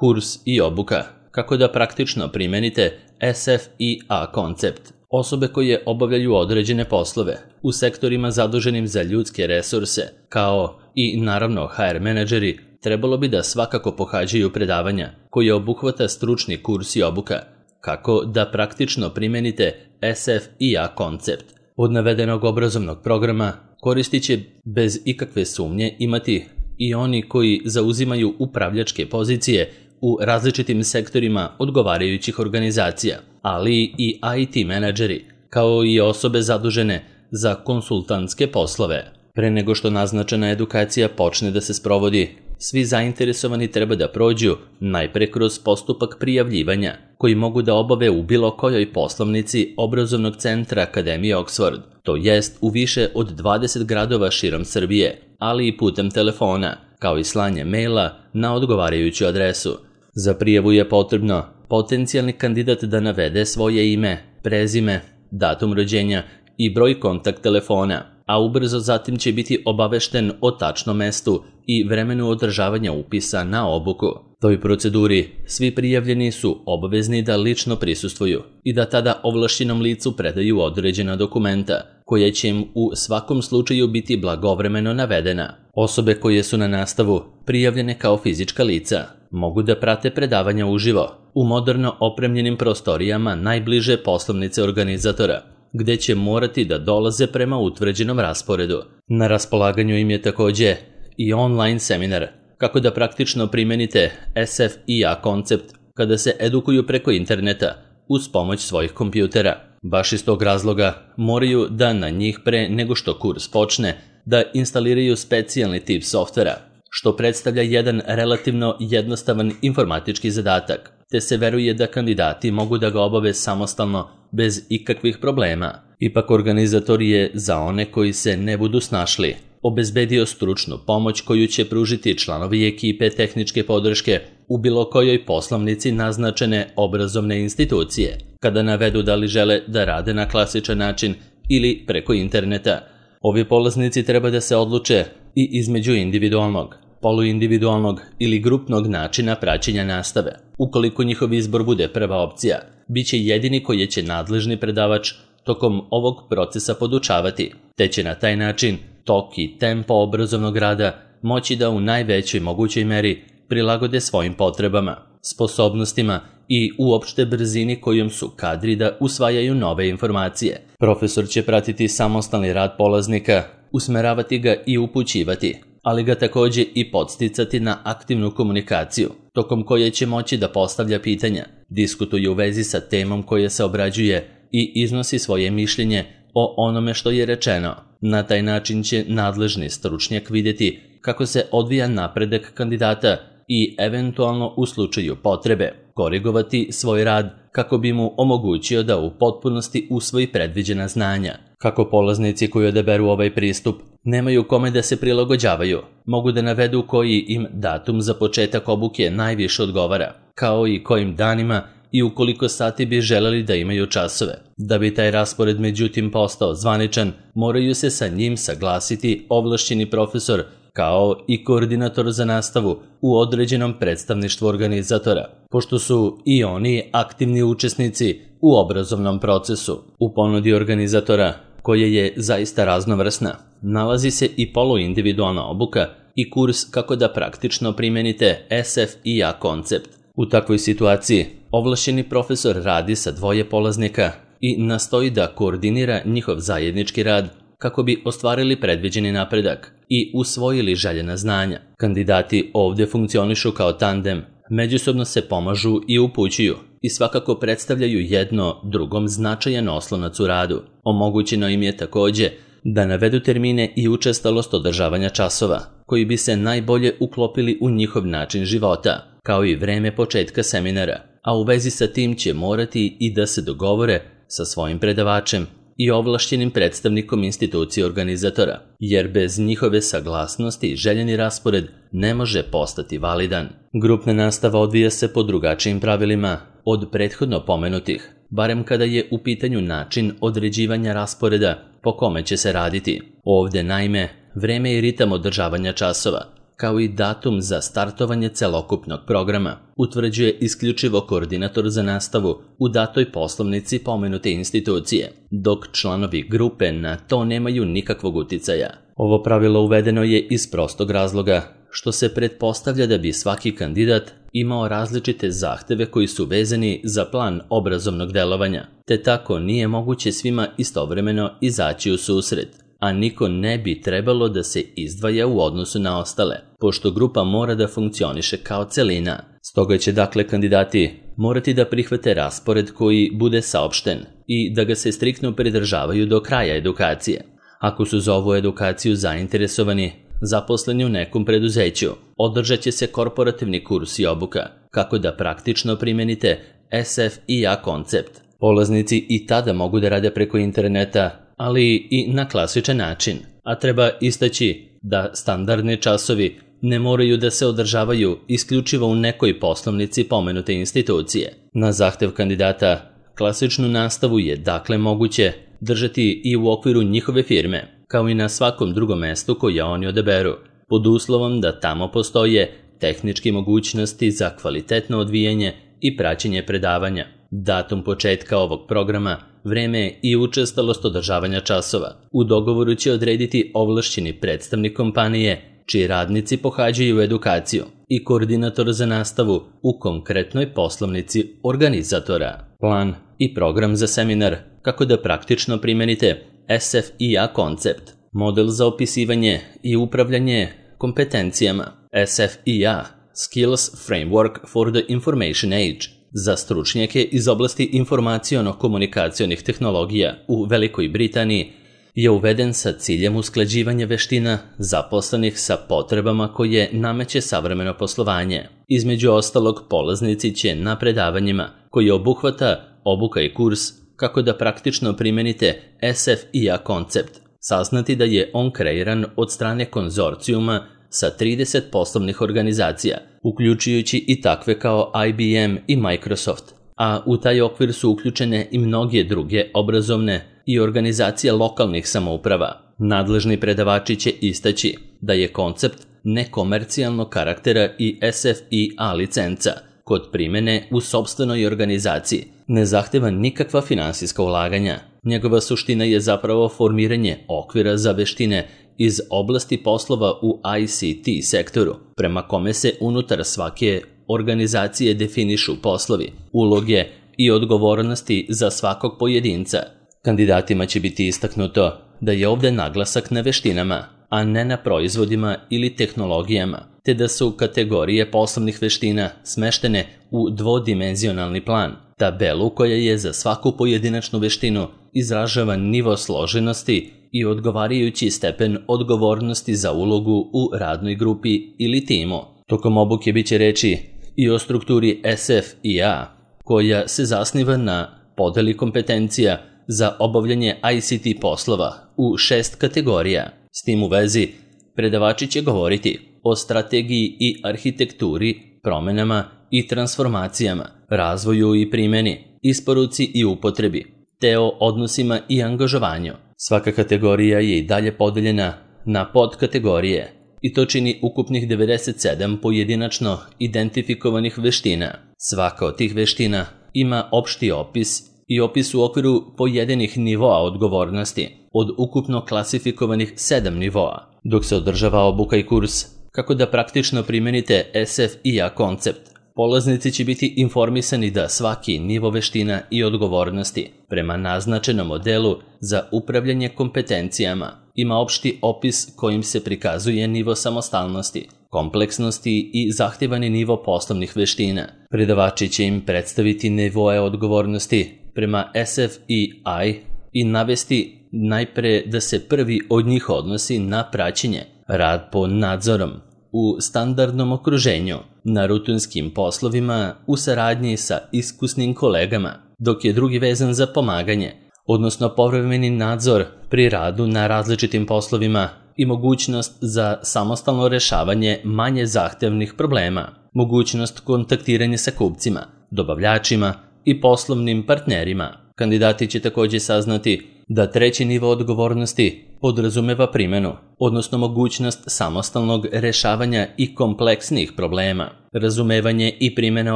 Kurs i obuka. Kako da praktično primenite SFIA koncept. Osobe koje obavljaju određene poslove u sektorima zaduženim za ljudske resurse, kao i naravno HR menadžeri, trebalo bi da svakako pohađaju predavanja koje obuhvata stručni kurs i obuka. Kako da praktično primenite SFIA koncept. Od navedenog obrazovnog programa koristit će bez ikakve sumnje imati i oni koji zauzimaju upravljačke pozicije u različitim sektorima odgovarajućih organizacija, ali i IT menadžeri, kao i osobe zadužene za konsultantske poslove. Pre nego što naznačena edukacija počne da se sprovodi, svi zainteresovani treba da prođu najpre kroz postupak prijavljivanja, koji mogu da obave u bilo kojoj poslovnici obrazovnog centra Akademije Oxford, to jest u više od 20 gradova širom Srbije, ali i putem telefona, kao i slanje maila na odgovarajuću adresu. Za prijavu je potrebno potencijalni kandidat da navede svoje ime, prezime, datum rođenja i broj kontakt telefona, a ubrzo zatim će biti obavešten o tačnom mestu i vremenu održavanja upisa na obuku. Toj proceduri svi prijavljeni su obavezni da lično prisustvuju i da tada ovlašćenom licu predaju određena dokumenta, koja će im u svakom slučaju biti blagovremeno navedena. Osobe koje su na nastavu prijavljene kao fizička lica mogu da prate predavanja uživo u moderno opremljenim prostorijama najbliže poslovnice organizatora, gde će morati da dolaze prema utvrđenom rasporedu. Na raspolaganju im je takođe i online seminar kako da praktično primenite SFIA koncept kada se edukuju preko interneta uz pomoć svojih kompjutera. Baš iz tog razloga moraju da na njih pre nego što kurs počne da instaliraju specijalni tip softvera, što predstavlja jedan relativno jednostavan informatički zadatak, te se veruje da kandidati mogu da ga obave samostalno bez ikakvih problema. Ipak organizator je za one koji se ne budu snašli obezbedio stručnu pomoć koju će pružiti članovi ekipe tehničke podrške u bilo kojoj poslovnici naznačene obrazovne institucije, kada navedu da li žele da rade na klasičan način ili preko interneta. Ovi polaznici treba da se odluče i između individualnog, poluindividualnog ili grupnog načina praćenja nastave. Ukoliko njihov izbor bude prva opcija, bit će jedini koji će nadležni predavač tokom ovog procesa podučavati, te će na taj način tok i tempo obrazovnog rada moći da u najvećoj mogućoj meri prilagode svojim potrebama, sposobnostima i uopšte brzini kojom su kadri da usvajaju nove informacije. Profesor će pratiti samostalni rad polaznika, usmeravati ga i upućivati, ali ga takođe i podsticati na aktivnu komunikaciju, tokom koje će moći da postavlja pitanja, diskutuje u vezi sa temom koja se obrađuje i iznosi svoje mišljenje o onome što je rečeno. Na taj način će nadležni stručnjak vidjeti kako se odvija napredak kandidata i eventualno u slučaju potrebe korigovati svoj rad kako bi mu omogućio da u potpunosti usvoji predviđena znanja. Kako polaznici koji odaberu ovaj pristup nemaju kome da se prilagođavaju, mogu da navedu koji im datum za početak obuke najviše odgovara, kao i kojim danima i u koliko sati bi želeli da imaju časove. Da bi taj raspored međutim postao zvaničan, moraju se sa njim saglasiti ovlašćeni profesor kao i koordinator za nastavu u određenom predstavništvu organizatora, pošto su i oni aktivni učesnici u obrazovnom procesu. U ponudi organizatora, koja je zaista raznovrsna, nalazi se i poluindividualna obuka i kurs kako da praktično primenite SFIA koncept. U takvoj situaciji, ovlašćeni profesor radi sa dvoje polaznika i nastoji da koordinira njihov zajednički rad kako bi ostvarili predviđeni napredak i usvojili željena znanja. Kandidati ovdje funkcionišu kao tandem, međusobno se pomažu i upućuju i svakako predstavljaju jedno drugom značajan oslonac u radu. Omogućeno im je takođe da navedu termine i učestalost održavanja časova, koji bi se najbolje uklopili u njihov način života, kao i vreme početka seminara, a u vezi sa tim će morati i da se dogovore sa svojim predavačem i ovlašćenim predstavnikom institucije organizatora, jer bez njihove saglasnosti željeni raspored ne može postati validan. Grupna nastava odvija se po drugačijim pravilima od prethodno pomenutih, barem kada je u pitanju način određivanja rasporeda po kome će se raditi. Ovdje naime, vreme i ritam održavanja časova, kao i datum za startovanje celokupnog programa, utvrđuje isključivo koordinator za nastavu u datoj poslovnici pomenute institucije, dok članovi grupe na to nemaju nikakvog uticaja. Ovo pravilo uvedeno je iz prostog razloga što se pretpostavlja da bi svaki kandidat imao različite zahteve koji su vezani za plan obrazovnog delovanja, te tako nije moguće svima istovremeno izaći u susret, a niko ne bi trebalo da se izdvaja u odnosu na ostale, pošto grupa mora da funkcioniše kao celina. Stoga će dakle kandidati morati da prihvate raspored koji bude saopšten i da ga se striktno pridržavaju do kraja edukacije. Ako su za ovu edukaciju zainteresovani, zaposleni u nekom preduzeću, održat će se korporativni kurs i obuka, kako da praktično primenite SFIA koncept. Polaznici i tada mogu da rade preko interneta, ali i na klasičan način, a treba istaći da standardni časovi ne moraju da se održavaju isključivo u nekoj poslovnici pomenute institucije. Na zahtev kandidata, klasičnu nastavu je dakle moguće držati i u okviru njihove firme, kao i na svakom drugom mestu koje oni odaberu, pod uslovom da tamo postoje tehničke mogućnosti za kvalitetno odvijanje i praćenje predavanja, datum početka ovog programa, vreme i učestalost održavanja časova. U dogovoru će odrediti ovlašćeni predstavnik kompanije čiji radnici pohađaju edukaciju i koordinator za nastavu u konkretnoj poslovnici organizatora. Plan i program za seminar kako da praktično primenite SFIA koncept, model za opisivanje i upravljanje kompetencijama, SFIA, Skills Framework for the Information Age, za stručnjake iz oblasti informaciono-komunikacionih tehnologija u Velikoj Britaniji je uveden sa ciljem usklađivanja veština zaposlenih sa potrebama koje nameće savremeno poslovanje. Između ostalog, polaznici će na predavanjima koji obuhvata obuka i kurs kako da praktično primenite SFIA koncept, saznati da je on kreiran od strane konzorcijuma sa 30 poslovnih organizacija, uključujući i takve kao IBM i Microsoft, a u taj okvir su uključene i mnoge druge obrazovne i organizacije lokalnih samouprava. Nadležni predavači će istaći da je koncept nekomercijalnog karaktera i SFIA licenca kod primene u sopstvenoj organizaciji ne zahteva nikakva finansijska ulaganja. Njegova suština je zapravo formiranje okvira za veštine iz oblasti poslova u ICT sektoru, prema kome se unutar svake organizacije definišu poslovi, uloge i odgovornosti za svakog pojedinca. Kandidatima će biti istaknuto da je ovde naglasak na veštinama, a ne na proizvodima ili tehnologijama, te da su kategorije poslovnih veština smeštene u dvodimenzionalni plan, tabelu koja je za svaku pojedinačnu veštinu izražava nivo složenosti i odgovarajući stepen odgovornosti za ulogu u radnoj grupi ili timu. Tokom obuke biće reči i o strukturi SFIA, koja se zasniva na podeli kompetencija za obavljanje ICT poslova u 6 kategorija. S tim u vezi, predavači će govoriti o strategiji i arhitekturi, promenama i transformacijama, razvoju i primjeni, isporuci i upotrebi, te o odnosima i angažovanju. Svaka kategorija je i dalje podeljena na podkategorije i to čini ukupnih 97 pojedinačno identifikovanih veština. Svaka od tih veština ima opšti opis i opis u okviru pojedinih nivoa odgovornosti od ukupno klasifikovanih 7 nivoa, dok se održava obuka i kurs kako da praktično primenite SFIA koncept. Polaznici će biti informisani da svaki nivo veština i odgovornosti prema naznačenom modelu za upravljanje kompetencijama ima opšti opis kojim se prikazuje nivo samostalnosti, kompleksnosti i zahtevani nivo poslovnih veština. Predavači će im predstaviti nivoe odgovornosti prema SFIA i navesti najpre da se prvi od njih odnosi na praćenje, rad pod nadzorom, u standardnom okruženju, na rutinskim poslovima u saradnji sa iskusnim kolegama, dok je drugi vezan za pomaganje, odnosno povremeni nadzor pri radu na različitim poslovima i mogućnost za samostalno rešavanje manje zahtevnih problema, mogućnost kontaktiranja sa kupcima, dobavljačima i poslovnim partnerima. Kandidati će također saznati da treći nivo odgovornosti podrazumeva primjenu, odnosno mogućnost samostalnog rešavanja i kompleksnih problema, razumevanje i primjena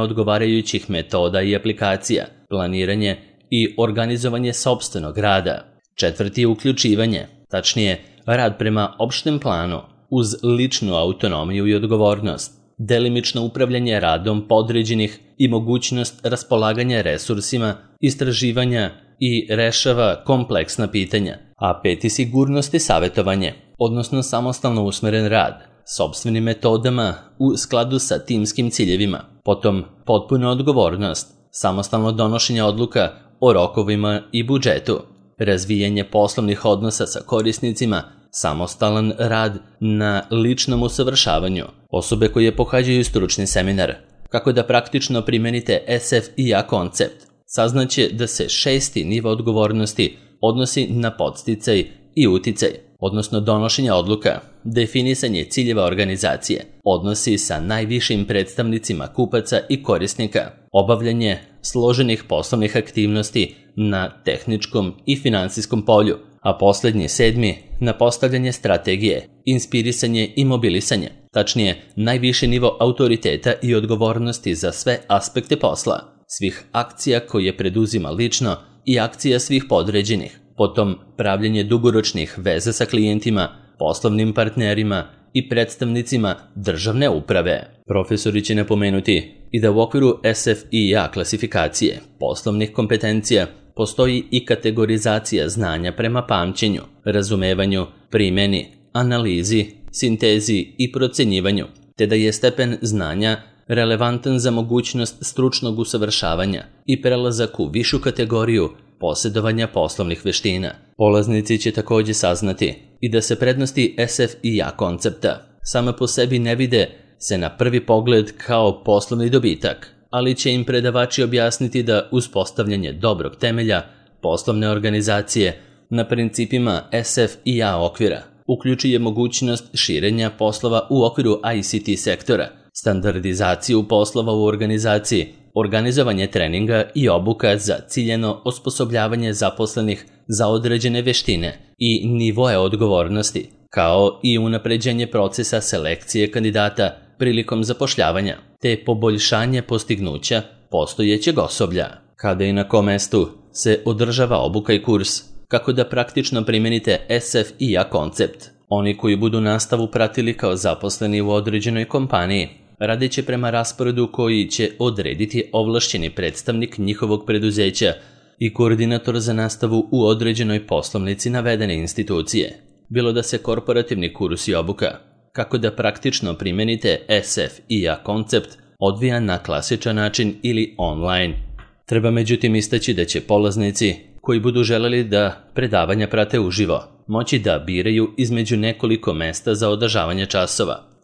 odgovarajućih metoda i aplikacija, planiranje i organizovanje sopstvenog rada. Četvrti je uključivanje, tačnije rad prema opštem planu, uz ličnu autonomiju i odgovornost, delimično upravljanje radom podređenih i mogućnost raspolaganja resursima, istraživanja i rešava kompleksna pitanja. A peti sigurnost i savjetovanje, odnosno samostalno usmeren rad, sopstvenim metodama u skladu sa timskim ciljevima, potom potpuna odgovornost, samostalno donošenje odluka o rokovima i budžetu, razvijanje poslovnih odnosa sa korisnicima, samostalan rad na ličnom usavršavanju, osobe koje pohađaju stručni seminar, kako da praktično primenite SF&A koncept. Saznaće da se šesti nivo odgovornosti odnosi na podsticaj i uticaj, odnosno donošenje odluka, definisanje ciljeva organizacije, odnosi sa najvišim predstavnicima kupaca i korisnika, obavljanje složenih poslovnih aktivnosti na tehničkom i finansijskom polju, a posljednji sedmi na postavljanje strategije, inspirisanje i mobilisanje, tačnije najviši nivo autoriteta i odgovornosti za sve aspekte posla, svih akcija koje preduzima lično i akcija svih podređenih, potom pravljenje dugoročnih veza sa klijentima, poslovnim partnerima i predstavnicima državne uprave. Profesori će napomenuti i da u okviru SF&A klasifikacije poslovnih kompetencija postoji i kategorizacija znanja prema pamćenju, razumevanju, primjeni, analizi, sintezi i procenjivanju, te da je stepen znanja relevantan za mogućnost stručnog usavršavanja i prelazak u višu kategoriju posjedovanja poslovnih veština. Polaznici će također saznati i da se prednosti SF&A koncepta same po sebi ne vide se na prvi pogled kao poslovni dobitak, ali će im predavači objasniti da uspostavljanje dobrog temelja poslovne organizacije na principima SF&A okvira uključuje mogućnost širenja poslova u okviru ICT sektora, standardizaciju poslova u organizaciji, organizovanje treninga i obuka za ciljeno osposobljavanje zaposlenih za određene veštine i nivoe odgovornosti, kao i unapređenje procesa selekcije kandidata prilikom zapošljavanja, te poboljšanje postignuća postojećeg osoblja. Kada i na kom mestu se održava obuka i kurs, kako da praktično primenite SF&A koncept. Oni koji budu nastavu pratili kao zaposleni u određenoj kompaniji, radeći prema rasporedu koji će odrediti ovlašćeni predstavnik njihovog preduzeća i koordinator za nastavu u određenoj poslovnici navedene institucije, bilo da se korporativni kurs i obuka, kako da praktično primenite SF&A koncept, odvija na klasičan način ili online. Treba međutim istaći da će polaznici koji budu želeli da predavanja prate uživo, moći da biraju između nekoliko mesta za održavanje časova.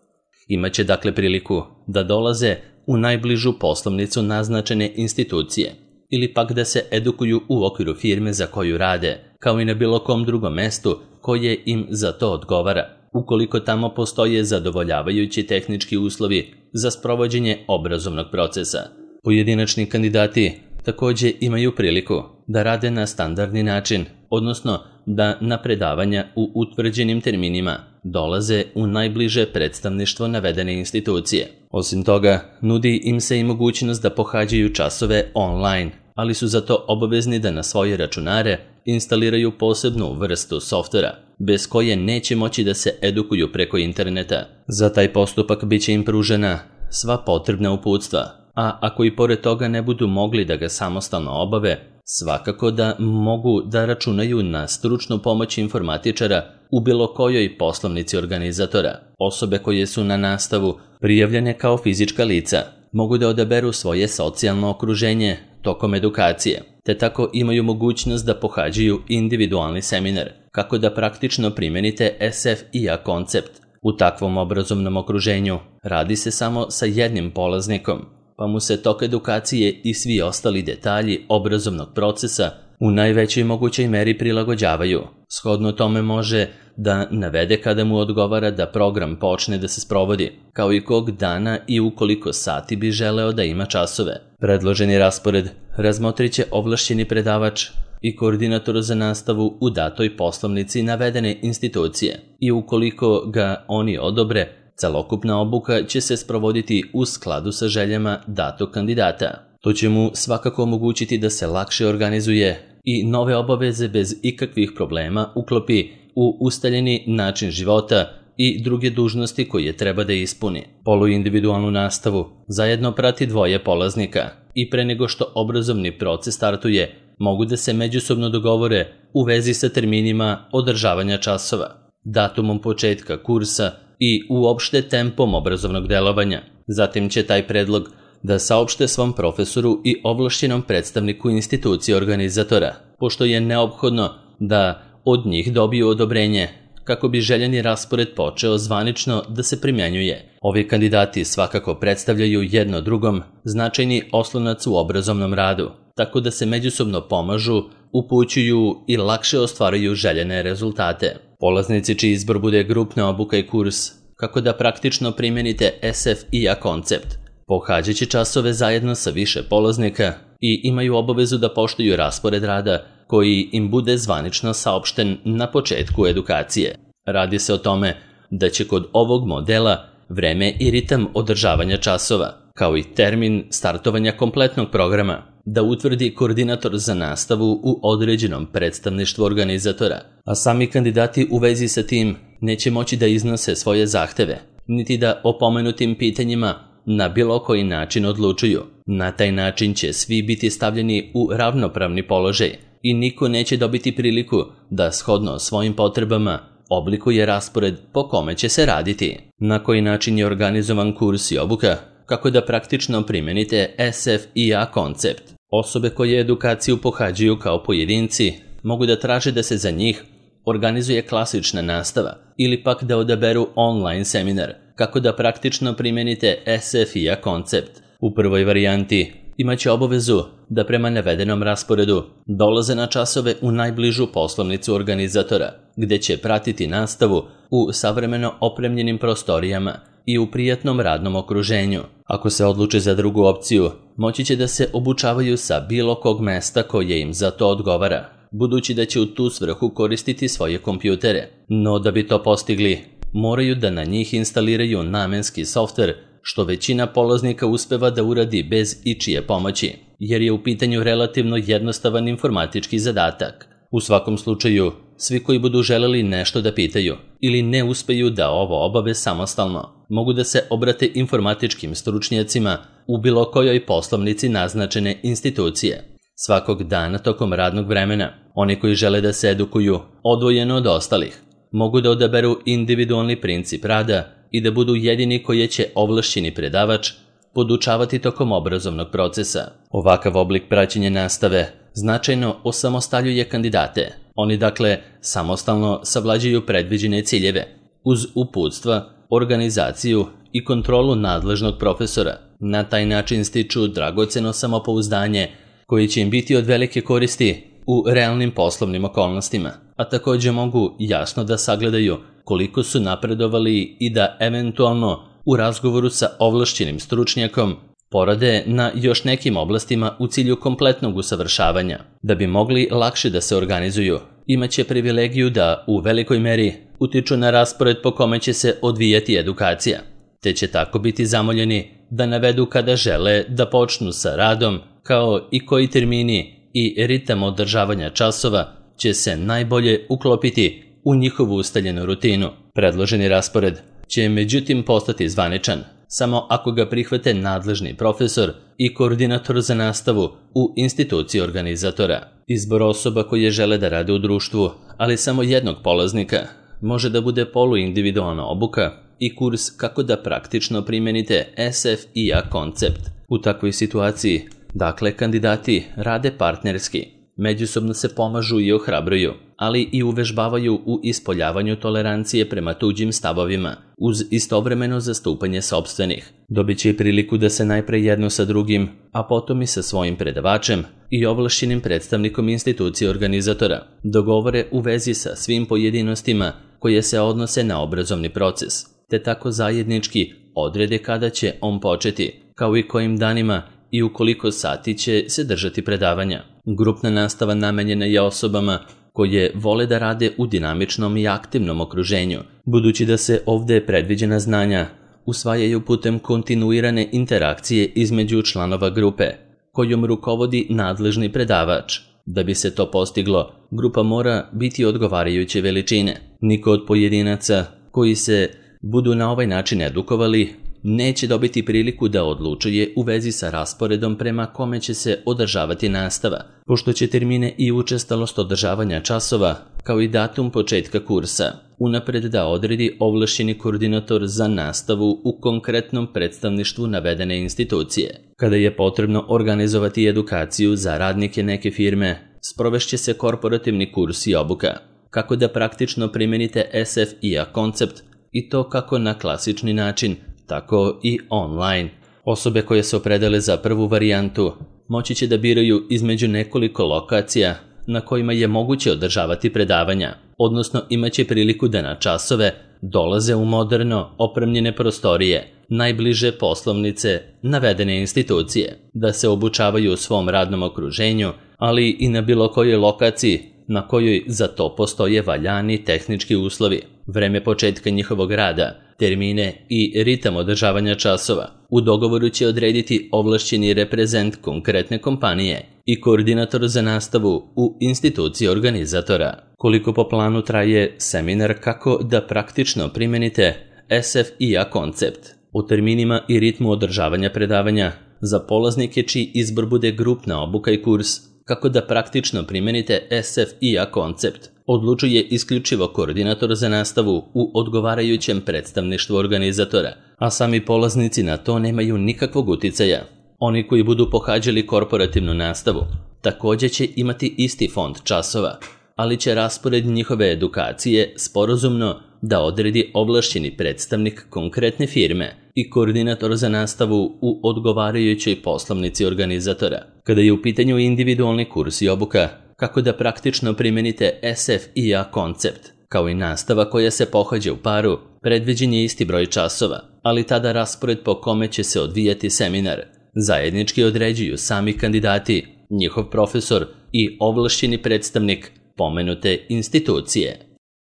Imaće dakle priliku da dolaze u najbližu poslovnicu naznačene institucije ili pak da se edukuju u okviru firme za koju rade, kao i na bilo kom drugom mestu koje im za to odgovara, ukoliko tamo postoje zadovoljavajući tehnički uslovi za sprovođenje obrazovnog procesa. Pojedinačni kandidati također imaju priliku da rade na standardni način, odnosno da na predavanja u utvrđenim terminima dolaze u najbliže predstavništvo navedene institucije. Osim toga, nudi im se i mogućnost da pohađaju časove online, ali su zato obavezni da na svoje računare instaliraju posebnu vrstu softvera, bez koje neće moći da se edukuju preko interneta. Za taj postupak bit će im pružena sva potrebna uputstva, a ako i pored toga ne budu mogli da ga samostalno obave, svakako da mogu da računaju na stručnu pomoć informatičara u bilo kojoj poslovnici organizatora. Osobe koje su na nastavu prijavljene kao fizička lica mogu da odaberu svoje socijalno okruženje tokom edukacije, te tako imaju mogućnost da pohađaju individualni seminar, kako da praktično primenite SF&A koncept. U takvom obrazovnom okruženju radi se samo sa jednim polaznikom, pa mu se tok edukacije i svi ostali detalji obrazovnog procesa u najvećoj mogućoj meri prilagođavaju. Shodno tome može da navede kada mu odgovara da program počne da se sprovodi, kao i kog dana i u koliko sati bi želeo da ima časove. Predloženi raspored razmotrit će ovlašćeni predavač i koordinator za nastavu u datoj poslovnici navedene institucije i ukoliko ga oni odobre, celokupna obuka će se sprovoditi u skladu sa željama datog kandidata. To će mu svakako omogućiti da se lakše organizuje i nove obaveze bez ikakvih problema uklopi u ustaljeni način života i druge dužnosti koje treba da ispuni. Poluindividualnu nastavu zajedno prati dvoje polaznika i pre nego što obrazovni proces startuje, mogu da se međusobno dogovore u vezi sa terminima održavanja časova, datumom početka kursa i uopšte tempom obrazovnog delovanja. Zatim će taj predlog da saopšte svom profesoru i ovlašćenom predstavniku institucije organizatora, pošto je neophodno da od njih dobiju odobrenje kako bi željeni raspored počeo zvanično da se primenjuje. Ovi kandidati svakako predstavljaju jedno drugom značajni oslonac u obrazovnom radu, tako da se međusobno pomažu, upućuju i lakše ostvaruju željene rezultate. Polaznici čiji izbor bude grupna obuka i kurs kako da praktično primenite SFIA koncept, pohađaće časove zajedno sa više polaznika i imaju obavezu da poštuju raspored rada koji im bude zvanično saopšten na početku edukacije. Radi se o tome da će kod ovog modela vreme i ritam održavanja časova, kao i termin startovanja kompletnog programa, da utvrdi koordinator za nastavu u određenom predstavništvu organizatora, a sami kandidati u vezi sa tim neće moći da iznose svoje zahteve, niti da o pomenutim pitanjima na bilo koji način odlučuju. Na taj način će svi biti stavljeni u ravnopravni položaj i niko neće dobiti priliku da shodno svojim potrebama oblikuje raspored po kome će se raditi. Na koji način je organizovan kurs i obuka, kako da praktično primenite SFIA koncept. Osobe koje edukaciju pohađaju kao pojedinci mogu da traže da se za njih organizuje klasična nastava ili pak da odaberu online seminar, kako da praktično primenite SFIA koncept. U prvoj varijanti imaće obavezu da prema navedenom rasporedu dolaze na časove u najbližu poslovnicu organizatora, gde će pratiti nastavu u savremeno opremljenim prostorijama i u prijatnom radnom okruženju. Ako se odluče za drugu opciju, moći će da se obučavaju sa bilo kog mesta koje im za to odgovara, budući da će u tu svrhu koristiti svoje kompjutere. No da bi to postigli, moraju da na njih instaliraju namenski softver, što većina polaznika uspeva da uradi bez ičije pomoći, jer je u pitanju relativno jednostavan informatički zadatak. U svakom slučaju, svi koji budu želeli nešto da pitaju ili ne uspeju da ovo obave samostalno, mogu da se obrate informatičkim stručnjacima u bilo kojoj poslovnici naznačene institucije. Svakog dana tokom radnog vremena, oni koji žele da se edukuju odvojeno od ostalih, mogu da odaberu individualni princip rada i da budu jedini koji će ovlašćeni predavač podučavati tokom obrazovnog procesa. Ovakav oblik praćenja nastave značajno osamostaljuje kandidate. Oni dakle samostalno savlađuju predviđene ciljeve, uz uputstva, organizaciju i kontrolu nadležnog profesora. Na taj način stiču dragoceno samopouzdanje koji će im biti od velike koristi u realnim poslovnim okolnostima, a također mogu jasno da sagledaju koliko su napredovali i da eventualno u razgovoru sa ovlašćenim stručnjakom porade na još nekim oblastima u cilju kompletnog usavršavanja. Da bi mogli lakše da se organizuju, imaće privilegiju da u velikoj meri utiču na raspored po kome će se odvijati edukacija, te će tako biti zamoljeni da navedu kada žele da počnu sa radom, kao i koji termini i ritam održavanja časova će se najbolje uklopiti u njihovu ustaljenu rutinu. Predloženi raspored će međutim postati zvaničan samo ako ga prihvate nadležni profesor i koordinator za nastavu u instituciji organizatora. Izbor osoba koje žele da rade u društvu, ali samo jednog polaznika, može da bude poluindividualna obuka i kurs kako da praktično primenite SFIA koncept. U takvoj situaciji, dakle, kandidati rade partnerski, međusobno se pomažu i ohrabruju, ali i uvežbavaju u ispoljavanju tolerancije prema tuđim stavovima, uz istovremeno zastupanje sopstvenih. Dobit će i priliku da se najpre jedno sa drugim, a potom i sa svojim predavačem i ovlašćenim predstavnikom institucije organizatora dogovore u vezi sa svim pojedinostima koje se odnose na obrazovni proces, te tako zajednički odrede kada će on početi, kao i kojim danima i u koliko sati će se držati predavanja. Grupna nastava namenjena je osobama koje vole da rade u dinamičnom i aktivnom okruženju, budući da se ovde predviđena znanja usvajaju putem kontinuirane interakcije između članova grupe, kojom rukovodi nadležni predavač. Da bi se to postiglo, grupa mora biti odgovarajuće veličine. Niko od pojedinaca koji se budu na ovaj način edukovali neće dobiti priliku da odlučuje u vezi sa rasporedom prema kome će se održavati nastava, pošto će termine i učestalost održavanja časova, kao i datum početka kursa, unapred da odredi ovlašćeni koordinator za nastavu u konkretnom predstavništvu navedene institucije. Kada je potrebno organizovati edukaciju za radnike neke firme, sprovešće se korporativni kurs i obuka, kako da praktično primenite SFIA koncept, i to kako na klasični način, tako i online. Osobe koje se opredele za prvu varijantu moći će da biraju između nekoliko lokacija na kojima je moguće održavati predavanja, odnosno imaće priliku da na časove dolaze u moderno opremljene prostorije, najbliže poslovnice navedene institucije, da se obučavaju u svom radnom okruženju, ali i na bilo kojoj lokaciji na kojoj za to postoje valjani tehnički uslovi, vreme početka njihovog rada, termine i ritam održavanja časova. U dogovoru će odrediti ovlašćeni reprezent konkretne kompanije i koordinator za nastavu u instituciji organizatora. Koliko po planu traje seminar kako da praktično primenite SFIA koncept? O terminima i ritmu održavanja predavanja za polaznike čiji izbor bude grupna obuka i kurs kako da praktično primenite SFIA koncept odlučuje isključivo koordinator za nastavu u odgovarajućem predstavništvu organizatora, a sami polaznici na to nemaju nikakvog uticaja. Oni koji budu pohađali korporativnu nastavu također će imati isti fond časova, ali će raspored njihove edukacije sporazumno da odredi ovlašćeni predstavnik konkretne firme i koordinator za nastavu u odgovarajućoj poslovnici organizatora. Kada je u pitanju individualni kurs i obuka, kako da praktično primenite SFIA koncept, kao i nastava koja se pohađa u paru, predviđen je isti broj časova, ali tada raspored po kome će se odvijati seminar zajednički određuju sami kandidati, njihov profesor i ovlašćeni predstavnik pomenute institucije.